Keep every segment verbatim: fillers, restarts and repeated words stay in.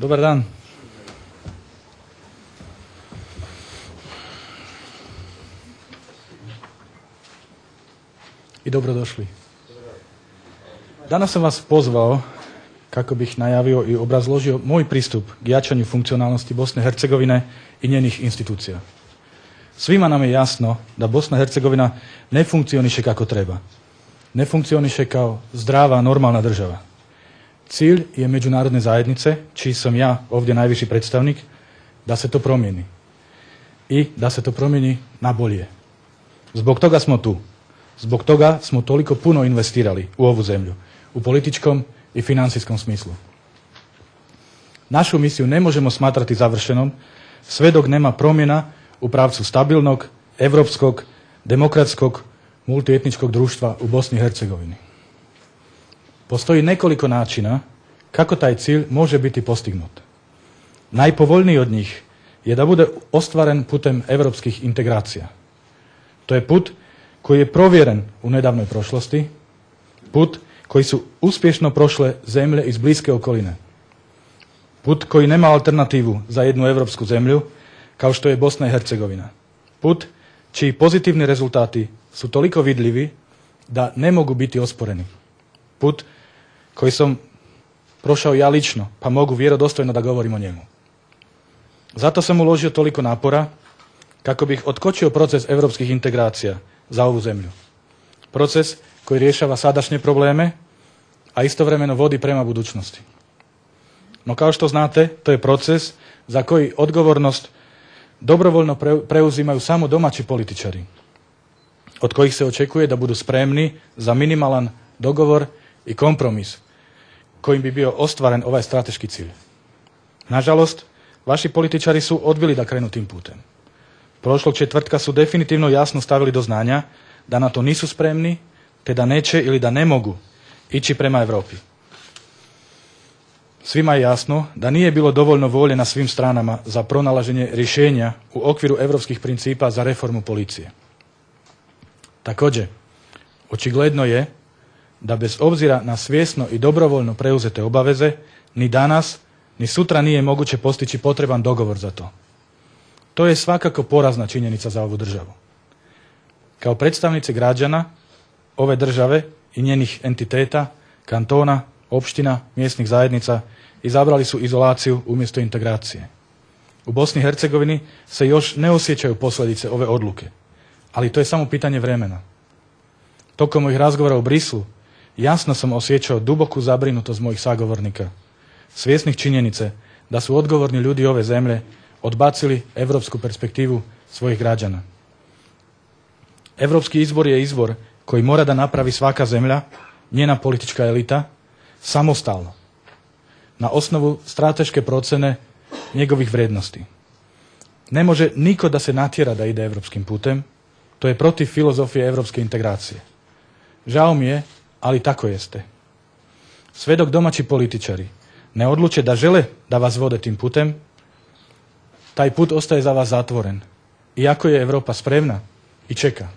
Dobar dan. I dobrodošli. Danas sam vas pozvao kako bih najavio i obrazložio moj pristup k jačanju funkcionalnosti Bosne i Hercegovine i njenih institucija. Svima nam je jasno da Bosna i Hercegovina ne funkcioniše kako treba. Ne funkcioniše kao zdrava, normalna država. Cilj je međunarodne zajednice, čiji sam ja ovdje najviši predstavnik, da se to promijeni. I da se to promijeni na bolje. Zbog toga smo tu. Zbog toga smo toliko puno investirali u ovu zemlju, u političkom i financijskom smislu. Našu misiju ne možemo smatrati završenom sve dok nema promjena u pravcu stabilnog, evropskog, demokratskog, multietničkog društva u Bosni i Hercegovini. Postoji nekoliko načina kako taj cilj može biti postignut. Najpovoljniji od njih je da bude ostvaren putem evropskih integracija. To je put koji je provjeren u nedavnoj prošlosti, put koji su uspješno prošle zemlje iz bliske okoline. Put koji nema alternativu za jednu evropsku zemlju, kao što je Bosna i Hercegovina. Put čiji pozitivni rezultati su toliko vidljivi da ne mogu biti osporeni. Put koji sam prošao ja lično, pa mogu vjerodostojno da govorim o njemu. Zato sam uložio toliko napora kako bih otkočio proces evropskih integracija za ovu zemlju. Proces koji rješava sadašnje probleme, a istovremeno vodi prema budućnosti. No kao što znate, to je proces za koji odgovornost dobrovoljno preuzimaju samo domaći političari, od kojih se očekuje da budu spremni za minimalan dogovor i kompromis kojim bi bio ostvaren ovaj strateški cilj. Nažalost, vaši političari su odbili da krenu tim putem. Prošlog četvrtka su definitivno jasno stavili do znanja da na to nisu spremni, te da neće ili da ne mogu ići prema Europi. Svima je jasno da nije bilo dovoljno volje na svim stranama za pronalaženje rješenja u okviru europskih principa za reformu policije. Također, očigledno je da bez obzira na svjesno i dobrovoljno preuzete obaveze, ni danas, ni sutra nije moguće postići potreban dogovor za to. To je svakako porazna činjenica za ovu državu. Kao predstavnici građana ove države i njenih entiteta, kantona, opština, mjesnih zajednica izabrali su izolaciju umjesto integracije. U Bosni i Hercegovini se još ne osjećaju posljedice ove odluke, ali to je samo pitanje vremena. Tokom mojih razgovora u Brislu jasno sam osjećao duboku zabrinutost mojih sagovornika, svjesnih činjenice da su odgovorni ljudi ove zemlje odbacili evropsku perspektivu svojih građana. Evropski izbor je izbor koji mora da napravi svaka zemlja, njena politička elita, samostalno, na osnovu strateške procene njegovih vrednosti. Ne može niko da se natjera da ide evropskim putem, to je protiv filozofije evropske integracije. Žao mi je, ali tako jeste. Sve dok domaći političari ne odluče da žele da vas vode tim putem, taj put ostaje za vas zatvoren, iako je Europa spremna i čeka.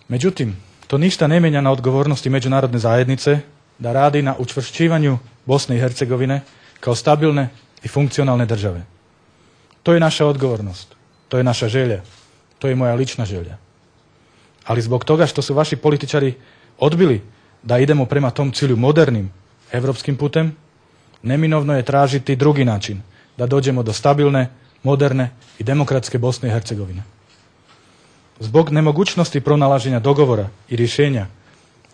Međutim, to ništa ne mijenja na odgovornosti međunarodne zajednice da radi na učvršćivanju Bosne i Hercegovine kao stabilne i funkcionalne države. To je naša odgovornost, to je naša želja, to je moja lična želja. Ali zbog toga što su vaši političari odbili da idemo prema tom cilju modernim evropskim putem, neminovno je tražiti drugi način da dođemo do stabilne, moderne i demokratske Bosne i Hercegovine. Zbog nemogućnosti pronalaženja dogovora i rješenja,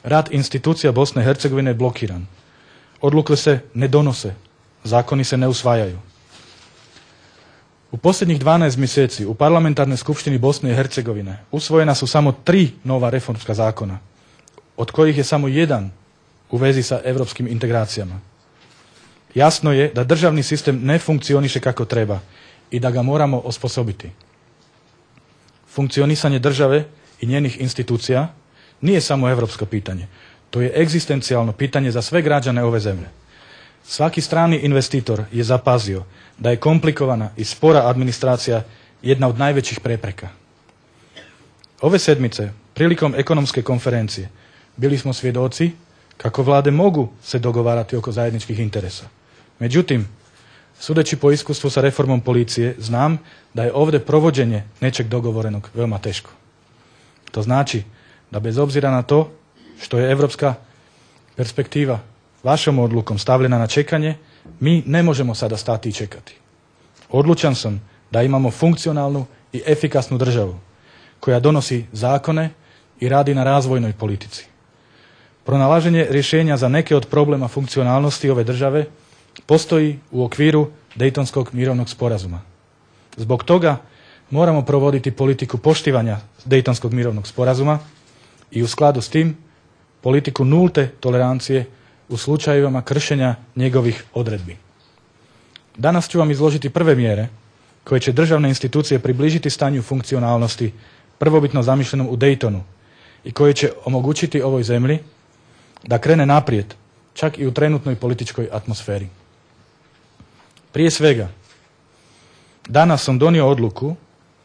rad institucija Bosne i Hercegovine je blokiran. Odluke se ne donose, zakoni se ne usvajaju. U posljednjih dvanaest mjeseci u parlamentarnoj skupštini Bosne i Hercegovine usvojena su samo tri nova reformska zakona, od kojih je samo jedan u vezi sa evropskim integracijama. Jasno je da državni sistem ne funkcioniše kako treba i da ga moramo osposobiti. Funkcionisanje države i njenih institucija nije samo evropsko pitanje. To je egzistencijalno pitanje za sve građane ove zemlje. Svaki strani investitor je zapazio da je komplikovana i spora administracija jedna od najvećih prepreka. Ove sedmice, prilikom ekonomske konferencije, bili smo svjedoci kako vlade mogu se dogovarati oko zajedničkih interesa. Međutim, sudeći po iskustvu sa reformom policije, znam da je ovdje provođenje nečeg dogovorenog veoma teško. To znači da bez obzira na to što je evropska perspektiva vašom odlukom stavljena na čekanje, mi ne možemo sada stati i čekati. Odlučan sam da imamo funkcionalnu i efikasnu državu koja donosi zakone i radi na razvojnoj politici. Pronalaženje rješenja za neke od problema funkcionalnosti ove države postoji u okviru Dejtonskog mirovnog sporazuma. Zbog toga moramo provoditi politiku poštivanja Dejtonskog mirovnog sporazuma i u skladu s tim politiku nulte tolerancije u slučajevima kršenja njegovih odredbi. Danas ću vam izložiti prve mjere koje će državne institucije približiti stanju funkcionalnosti prvobitno zamišljenom u Dejtonu i koje će omogućiti ovoj zemlji da krene naprijed, čak i u trenutnoj političkoj atmosferi. Prije svega, danas sam donio odluku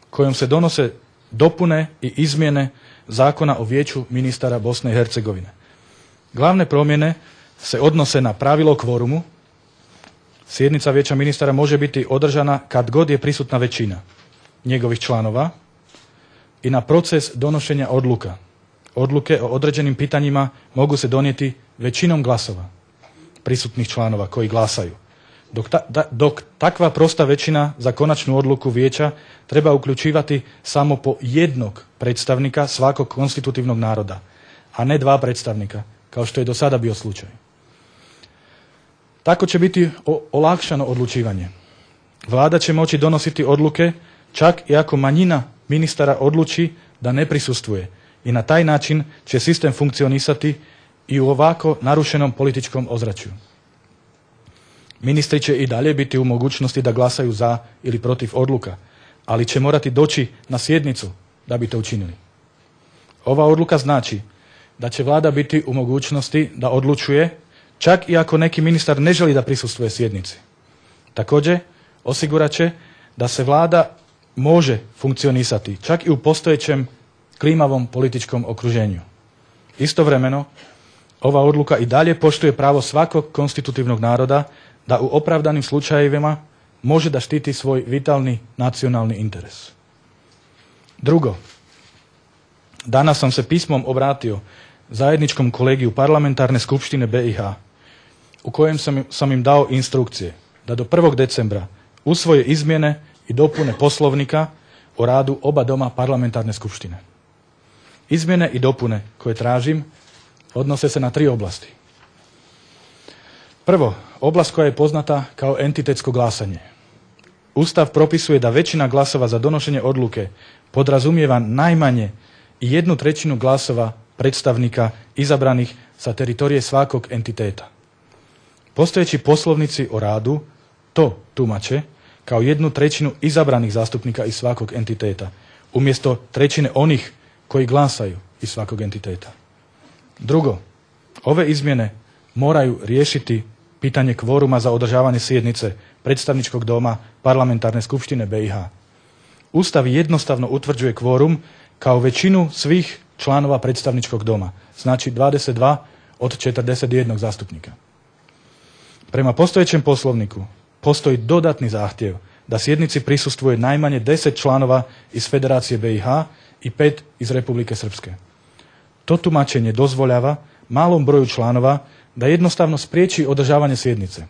kojom se donose dopune i izmjene Zakona o vijeću ministara Bosne i Hercegovine. Glavne promjene se odnose na pravilo kvorumu. Sjednica vijeća ministara može biti održana kad god je prisutna većina njegovih članova i na proces donošenja odluka. Odluke o određenim pitanjima mogu se donijeti većinom glasova prisutnih članova koji glasaju. Dok, ta, da, dok takva prosta većina za konačnu odluku vijeća treba uključivati samo po jednog predstavnika svakog konstitutivnog naroda, a ne dva predstavnika, kao što je do sada bio slučaj. Tako će biti o, olakšano odlučivanje. Vlada će moći donositi odluke čak i ako manjina ministara odluči da ne prisustvuje i na taj način će sistem funkcionisati i u ovako narušenom političkom ozračju. Ministri će i dalje biti u mogućnosti da glasaju za ili protiv odluka, ali će morati doći na sjednicu da bi to učinili. Ova odluka znači da će vlada biti u mogućnosti da odlučuje čak i ako neki ministar ne želi da prisustvuje sjednici. Također, osigurat će da se vlada može funkcionisati čak i u postojećem klimavom političkom okruženju. Istovremeno, ova odluka i dalje poštuje pravo svakog konstitutivnog naroda da u opravdanim slučajevima može da štiti svoj vitalni nacionalni interes. Drugo, danas sam se pismom obratio zajedničkom kolegiju parlamentarne skupštine B i H, u kojem sam, sam im dao instrukcije da do prvog decembra usvoje izmjene i dopune poslovnika o radu oba doma parlamentarne skupštine. Izmjene i dopune koje tražim odnose se na tri oblasti. Prvo, oblast koja je poznata kao entitetsko glasanje. Ustav propisuje da većina glasova za donošenje odluke podrazumijeva najmanje i jednu trećinu glasova predstavnika izabranih sa teritorije svakog entiteta. Postojeći poslovnici o radu to tumače kao jednu trećinu izabranih zastupnika iz svakog entiteta, umjesto trećine onih koji glasaju iz svakog entiteta. Drugo, ove izmjene moraju riješiti pitanje kvoruma za održavanje sjednice predstavničkog doma parlamentarne skupštine B i H. Ustav jednostavno utvrđuje kvorum kao većinu svih članova predstavničkog doma, znači dvadeset dva od četrdeset jedan zastupnika. Prema postojećem poslovniku postoji dodatni zahtjev da sjednici prisustvuje najmanje deset članova iz Federacije B i H i pet iz Republike Srpske. To tumačenje dozvoljava malom broju članova da jednostavno spriječi održavanje sjednice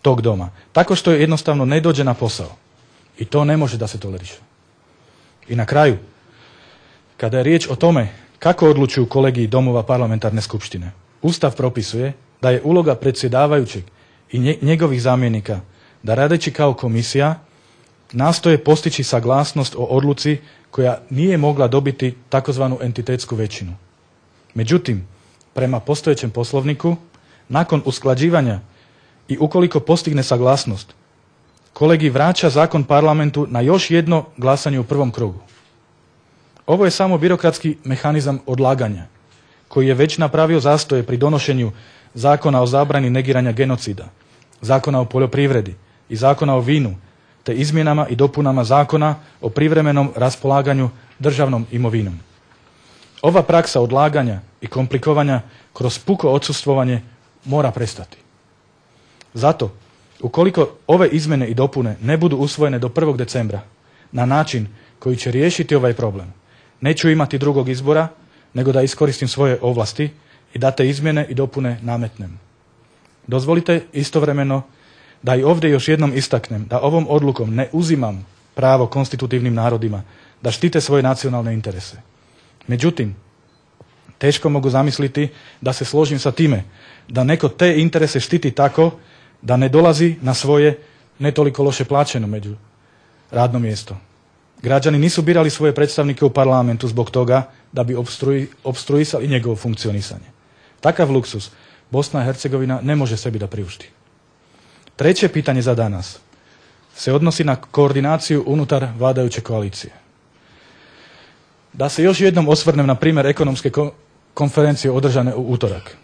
tog doma, tako što je jednostavno ne dođe na posao. I to ne može da se toleriše. I na kraju, kada je riječ o tome kako odlučuju kolegiji domova parlamentarne skupštine, Ustav propisuje da je uloga predsjedavajućeg i njegovih zamjenika da radeći kao komisija nastoje postići saglasnost o odluci koja nije mogla dobiti takozvanu entitetsku većinu. Međutim, prema postojećem poslovniku, nakon usklađivanja i ukoliko postigne saglasnost, kolegij vraća zakon parlamentu na još jedno glasanje u prvom krugu. Ovo je samo birokratski mehanizam odlaganja, koji je već napravio zastoje pri donošenju zakona o zabrani negiranja genocida, zakona o poljoprivredi i zakona o vinu, te izmjenama i dopunama zakona o privremenom raspolaganju državnom imovinom. Ova praksa odlaganja i komplikovanja kroz puko odsustvovanje mora prestati. Zato, ukoliko ove izmjene i dopune ne budu usvojene do prvog decembra na način koji će riješiti ovaj problem, neću imati drugog izbora nego da iskoristim svoje ovlasti i da te izmjene i dopune nametnem. Dozvolite istovremeno da i ovdje još jednom istaknem da ovom odlukom ne uzimam pravo konstitutivnim narodima da štite svoje nacionalne interese. Međutim, teško mogu zamisliti da se složim sa time da neko te interese štiti tako da ne dolazi na svoje ne toliko loše plaćeno među radno mjesto. Građani nisu birali svoje predstavnike u parlamentu zbog toga da bi obstruji, obstruisali njegovo funkcionisanje. Takav luksus Bosna i Hercegovina ne može sebi da priušti. Treće pitanje za danas se odnosi na koordinaciju unutar vladajuće koalicije. Da se još jednom osvrnem na primjer ekonomske konferencije održane u utorak.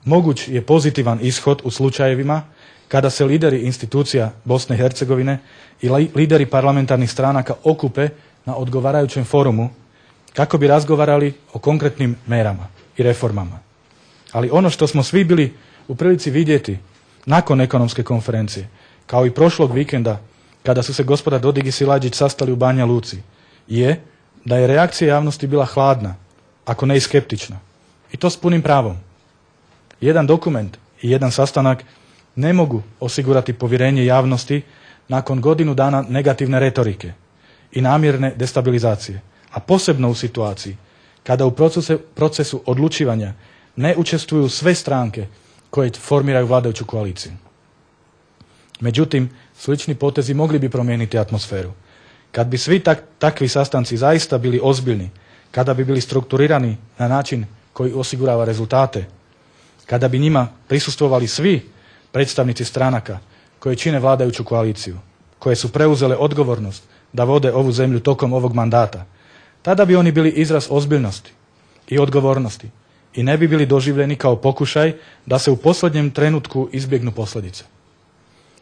Moguć je pozitivan ishod u slučajevima kada se lideri institucija Bosne i Hercegovine i lideri parlamentarnih stranaka okupe na odgovarajućem forumu kako bi razgovarali o konkretnim merama i reformama. Ali ono što smo svi bili u prilici vidjeti nakon ekonomske konferencije, kao i prošlog vikenda kada su se gospoda Dodig i Silađić sastali u Banja Luci, je da je reakcija javnosti bila hladna, ako ne i skeptična. I to s punim pravom. Jedan dokument i jedan sastanak ne mogu osigurati povjerenje javnosti nakon godinu dana negativne retorike i namjerne destabilizacije, a posebno u situaciji kada u procesu, procesu odlučivanja ne učestvuju sve stranke koje formiraju vladajuću koaliciju. Međutim, slični potezi mogli bi promijeniti atmosferu. Kad bi svi tak, takvi sastanci zaista bili ozbiljni, kada bi bili strukturirani na način koji osigurava rezultate, kada bi njima prisustvovali svi predstavnici stranaka koje čine vladajuću koaliciju, koje su preuzele odgovornost da vode ovu zemlju tokom ovog mandata, tada bi oni bili izraz ozbiljnosti i odgovornosti i ne bi bili doživljeni kao pokušaj da se u posljednjem trenutku izbjegnu posljedice.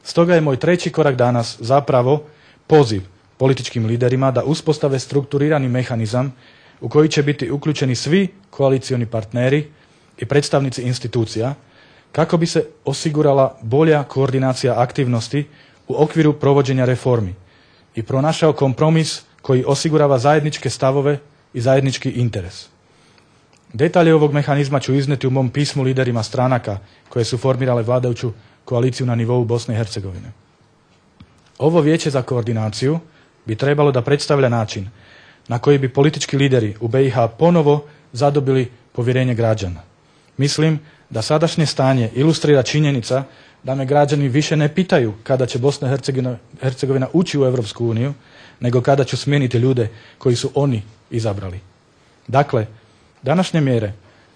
Stoga je moj treći korak danas zapravo poziv političkim liderima da uspostave strukturirani mehanizam u koji će biti uključeni svi koalicioni partneri i predstavnici institucija kako bi se osigurala bolja koordinacija aktivnosti u okviru provođenja reformi i pronašao kompromis koji osigurava zajedničke stavove i zajednički interes. Detalje ovog mehanizma ću izneti u mom pismu liderima stranaka koje su formirale vladajuću koaliciju na nivou Bosne i Hercegovine. Ovo vijeće za koordinaciju bi trebalo da predstavlja način na koji bi politički lideri u B i H ponovo zadobili povjerenje građana. Mislim da sadašnje stanje ilustrira činjenica da me građani više ne pitaju kada će Bosna i Hercegovina, Hercegovina ući u Europsku uniju, nego kada ću smijeniti ljude koji su oni izabrali. Dakle, današnje mjere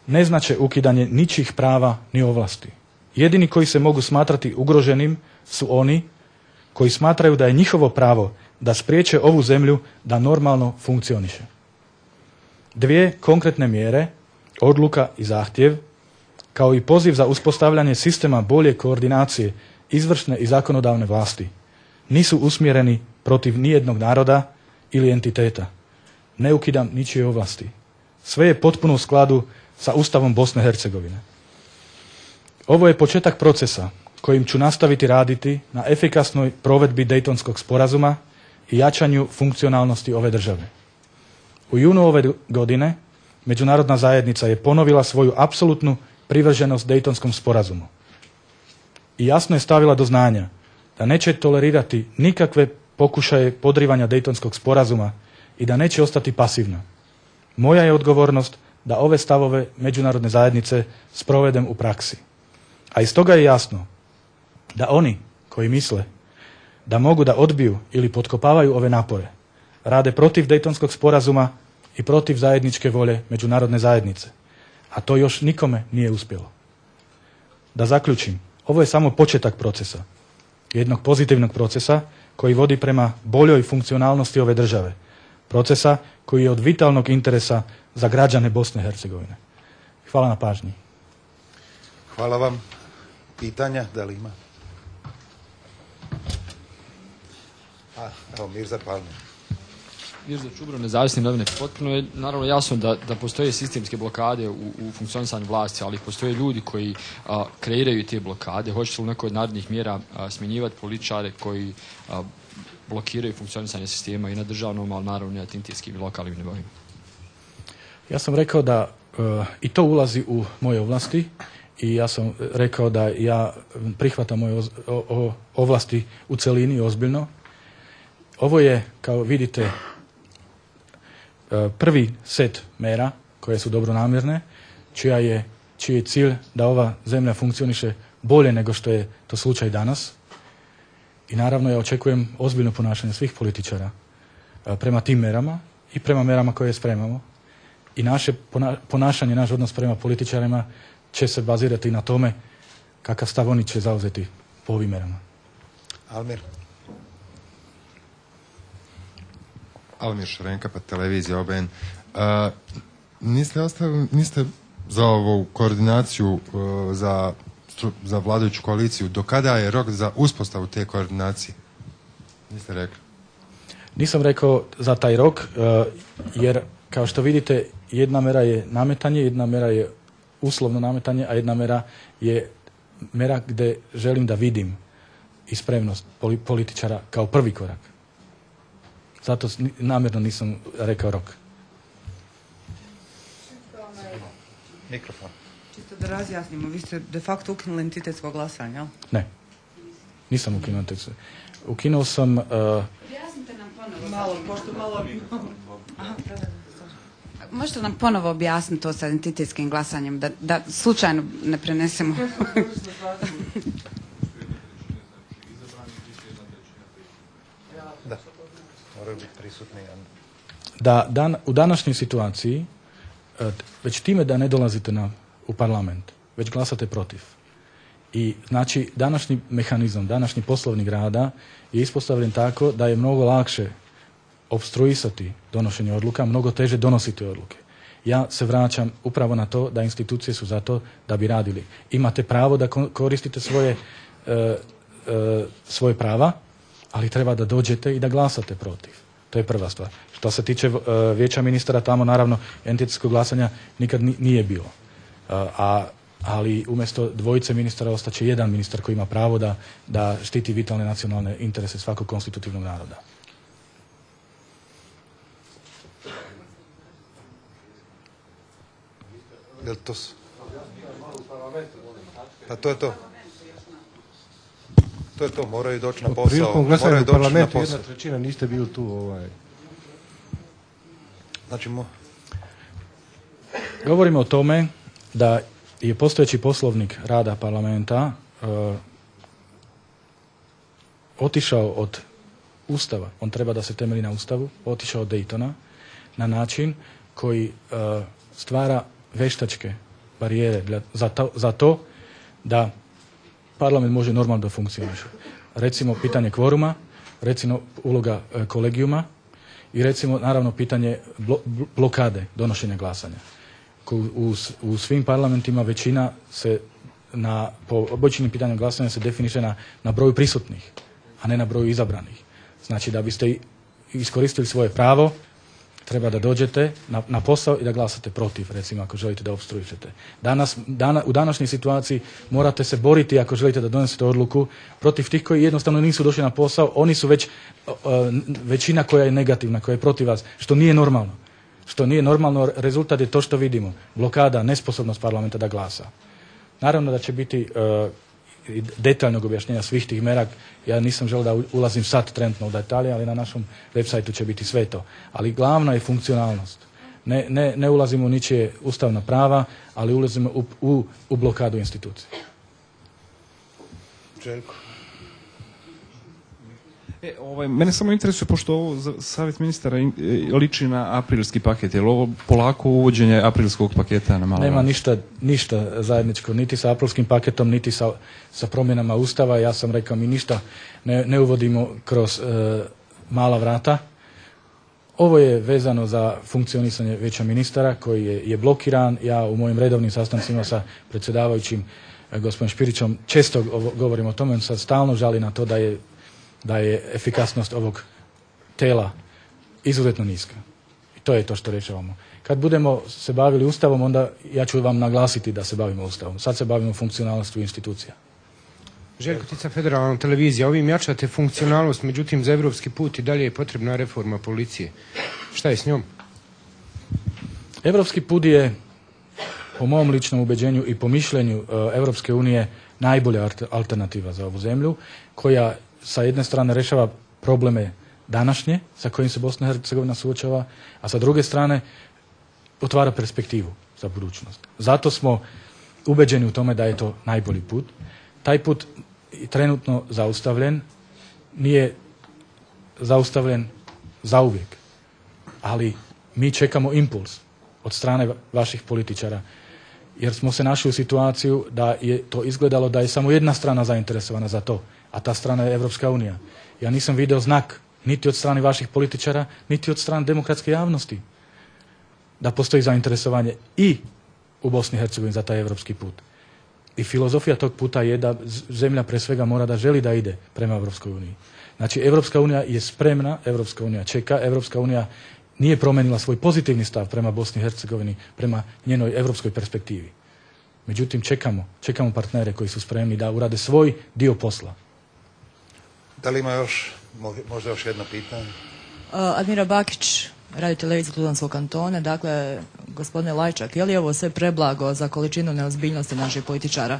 ne znače ukidanje ničijih prava ni ovlasti. Jedini koji se mogu smatrati ugroženim su oni koji smatraju da je njihovo pravo da spriječe ovu zemlju da normalno funkcioniše. Dvije konkretne mjere, odluka i zahtjev, kao i poziv za uspostavljanje sistema bolje koordinacije izvršne i zakonodavne vlasti, nisu usmjereni protiv nijednog naroda ili entiteta. Ne ukidam ničije ovlasti. Sve je potpuno u skladu sa Ustavom Bosne i Hercegovine. Ovo je početak procesa kojim ću nastaviti raditi na efikasnoj provedbi Dejtonskog sporazuma i jačanju funkcionalnosti ove države. U junu ove godine međunarodna zajednica je ponovila svoju apsolutnu privrženost Dejtonskom sporazumu i jasno je stavila do znanja da neće tolerirati nikakve pokušaje podrivanja Dejtonskog sporazuma i da neće ostati pasivna. Moja je odgovornost da ove stavove međunarodne zajednice sprovedem u praksi. A iz toga je jasno da oni koji misle da mogu da odbiju ili potkopavaju ove napore, rade protiv Dejtonskog sporazuma i protiv zajedničke volje međunarodne zajednice. A to još nikome nije uspjelo. Da zaključim, ovo je samo početak procesa. Jednog pozitivnog procesa koji vodi prema boljoj funkcionalnosti ove države. Procesa koji je od vitalnog interesa za građane Bosne i Hercegovine. Hvala na pažnji. Hvala vam. Pitanja, da li ima? A, evo, Mirza Palmer. Mirza Čubro, Nezavisni novine. Potpuno je naravno jasno da, da postoje sistemske blokade u, u funkcionisanju vlasti, ali postoje ljudi koji a, kreiraju te blokade. Hoćete li u nekoj od narednih mjera a, smjenjivati političare koji a, blokiraju funkcionisanje sistema i na državnom, ali naravno i na tintijskim i lokalnim nivoima? Ja sam rekao da uh, i to ulazi u moje ovlasti i ja sam rekao da ja prihvatam moje oz, o, o, ovlasti u celini ozbiljno. Ovo je, kao vidite, uh, prvi set mera koje su dobronamjerne, čija je, čiji je cilj da ova zemlja funkcioniše bolje nego što je to slučaj danas. I naravno ja očekujem ozbiljno ponašanje svih političara uh, prema tim merama i prema merama koje spremamo. I naše ponašanje, naš odnos prema političarima će se bazirati na tome kakav stav oni će zauzeti po ovim merama. Almir. Almir Šarenka, pa televizija O B N. Uh, niste, ostavili, niste za ovu koordinaciju uh, za, za vladajuću koaliciju, do kada je rok za uspostavu te koordinacije? Niste rekli? Nisam rekao za taj rok, uh, jer kao što vidite, jedna mera je nametanje, jedna mera je uslovno nametanje, a jedna mera je mera gdje želim da vidim i spremnost političara kao prvi korak. Zato namjerno nisam rekao rok. Mikrofon. Čisto da razjasnimo, vi ste de facto ukinuli entitetsko glasanje, jel? Ne, nisam ukinuo entitetsko. Ukinuo sam... Uh, Objasnite nam ponovo. Malo, pošto malo... Aha, da, da. Možete nam ponovo objasniti to sa entitetskim glasanjem, da, da slučajno ne prenesemo? Da, moraju biti prisutni. Da dan, u današnjoj situaciji, već time da ne dolazite na, u parlament, već glasate protiv. I znači današnji mehanizam, današnji poslovnik rada je ispostavljen tako da je mnogo lakše opstruisati donošenje odluka, mnogo teže donositi odluke. Ja se vraćam upravo na to da institucije su za to da bi radili. Imate pravo da koristite svoje, e, e, svoje prava, ali treba da dođete i da glasate protiv. To je prva stvar. Što se tiče e, vijeća ministara, tamo naravno entitetskog glasanja nikad nije bilo. E, a ali umjesto dvojice ministara ostaće jedan ministar koji ima pravo da, da štiti vitalne nacionalne interese svakog konstitutivnog naroda. Jel to s... Pa to je to. To je to, moraju doći na posao. Prilikom glasanja u parlamentu jedna jedna trećina niste bili tu. Ovaj. Znači, mo... Govorimo o tome da je postojeći poslovnik rada parlamenta uh, otišao od Ustava, on treba da se temelji na Ustavu, otišao od Daytona na način koji uh, stvara veštačke barijere za to, za to da parlament može normalno da funkcioniše. Recimo pitanje kvoruma, recimo uloga e, kolegijuma i recimo naravno pitanje blo, blokade donošenja glasanja. U, u, u svim parlamentima većina se na, po običnim pitanjem glasanja se definiše na, na broju prisutnih, a ne na broju izabranih. Znači da biste iskoristili svoje pravo, treba da dođete na, na posao i da glasate protiv, recimo, ako želite da opstruišete. Danas, dana, u današnjoj situaciji morate se boriti ako želite da donesete odluku protiv tih koji jednostavno nisu došli na posao, oni su već uh, većina koja je negativna, koja je protiv vas, što nije normalno. Što nije normalno, rezultat je to što vidimo. Blokada, nesposobnost parlamenta da glasa. Naravno da će biti uh, detaljnog objašnjenja svih tih mera. Ja nisam želio da ulazim sad trenutno u detalje, ali na našom web sajtu će biti sve to. Ali glavna je funkcionalnost. Ne, ne, ne ulazimo u ničije ustavna prava, ali ulazimo u, u, u blokadu institucije. Željko. E, ovaj, mene samo interesuje, pošto ovo za savjet ministara in, e, liči na aprilski paket, je li ovo polako uvođenje aprilskog paketa na malo? Nema ništa, ništa zajedničko, niti sa aprilskim paketom, niti sa, sa promjenama Ustava. Ja sam rekao, mi ništa ne, ne uvodimo kroz e, mala vrata. Ovo je vezano za funkcionisanje vijeća ministara koji je, je blokiran. Ja u mojim redovnim sastancima sa predsjedavajućim e, gospodinom Špirićom često govorim o tome, on sad stalno žali na to da je da je efikasnost ovog tela izuzetno niska. I to je to što rješavamo. Kad budemo se bavili Ustavom, onda ja ću vam naglasiti da se bavimo Ustavom. Sad se bavimo funkcionalnosti institucija. Željko Tica, Federalna televizija. Ovim jačate funkcionalnost, međutim za evropski put i dalje je potrebna reforma policije. Šta je s njom? Evropski put je, po mom ličnom ubeđenju i po mišljenju Evropske unije, najbolja alternativa za ovu zemlju, koja sa jedne strane rešava probleme današnje, sa kojim se Bosna i Hercegovina suočava, a sa druge strane otvara perspektivu za budućnost. Zato smo ubeđeni u tome da je to najbolji put. Taj put je trenutno zaustavljen, nije zaustavljen zauvijek, ali mi čekamo impuls od strane vaših političara, jer smo se našli u situaciju da je to izgledalo da je samo jedna strana zainteresovana za to, a ta strana je Evropska unija. Ja nisam video znak niti od strane vaših političara, niti od strane demokratske javnosti da postoji zainteresovanje i u Bosni i Hercegovini za taj evropski put. I filozofija tog puta je da zemlja pre svega mora da želi da ide prema Evropskoj uniji. Znači, Evropska unija je spremna, Evropska unija čeka, Evropska unija nije promenila svoj pozitivni stav prema Bosni i Hercegovini, prema njenoj evropskoj perspektivi. Međutim, čekamo, čekamo partnere koji su spremni da urade svoj dio posla. Da li ima još, možda još jedno pitanje? Uh, Admira Bakić, radio televizija Tuzlanskog kantona. Dakle, gospodine Lajčak, je li ovo sve preblago za količinu neozbiljnosti naših političara?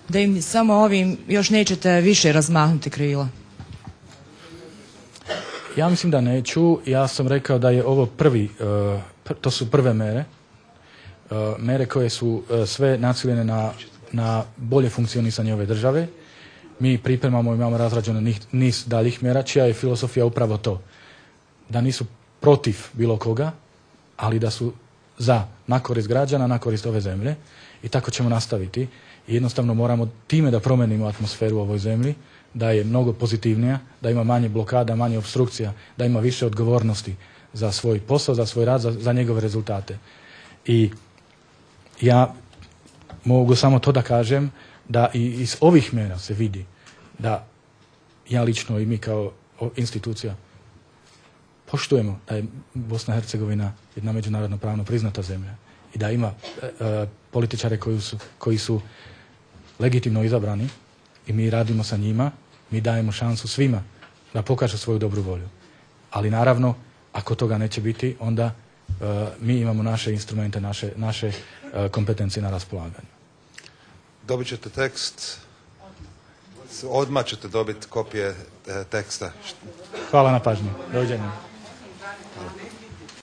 Da im samo ovim još nećete više razmahnuti krila? Ja mislim da neću. Ja sam rekao da je ovo prvi, uh, to su prve mere, uh, mere koje su uh, sve naciljene na, na bolje funkcionisanje ove države. Mi pripremamo i imamo razrađeno niz daljih mjera, čija je filosofija upravo to. Da nisu protiv bilo koga, ali da su za, na korist građana, na korist ove zemlje. I tako ćemo nastaviti. I jednostavno moramo time da promenimo atmosferu u ovoj zemlji, da je mnogo pozitivnija, da ima manje blokada, manje obstrukcija, da ima više odgovornosti za svoj posao, za svoj rad, za, za njegove rezultate. I ja mogu samo to da kažem, da i iz ovih mjera se vidi da ja lično i mi kao institucija poštujemo da je Bosna i Hercegovina jedna međunarodno pravno priznata zemlja i da ima e, e, političare koji su, koji su legitimno izabrani i mi radimo sa njima, mi dajemo šansu svima da pokažu svoju dobru volju. Ali naravno, ako toga neće biti, onda e, mi imamo naše instrumente, naše, naše e, kompetencije na raspolaganju. Dobit ćete tekst, odmah ćete dobiti kopije teksta. Hvala na pažnji. Doviđenja.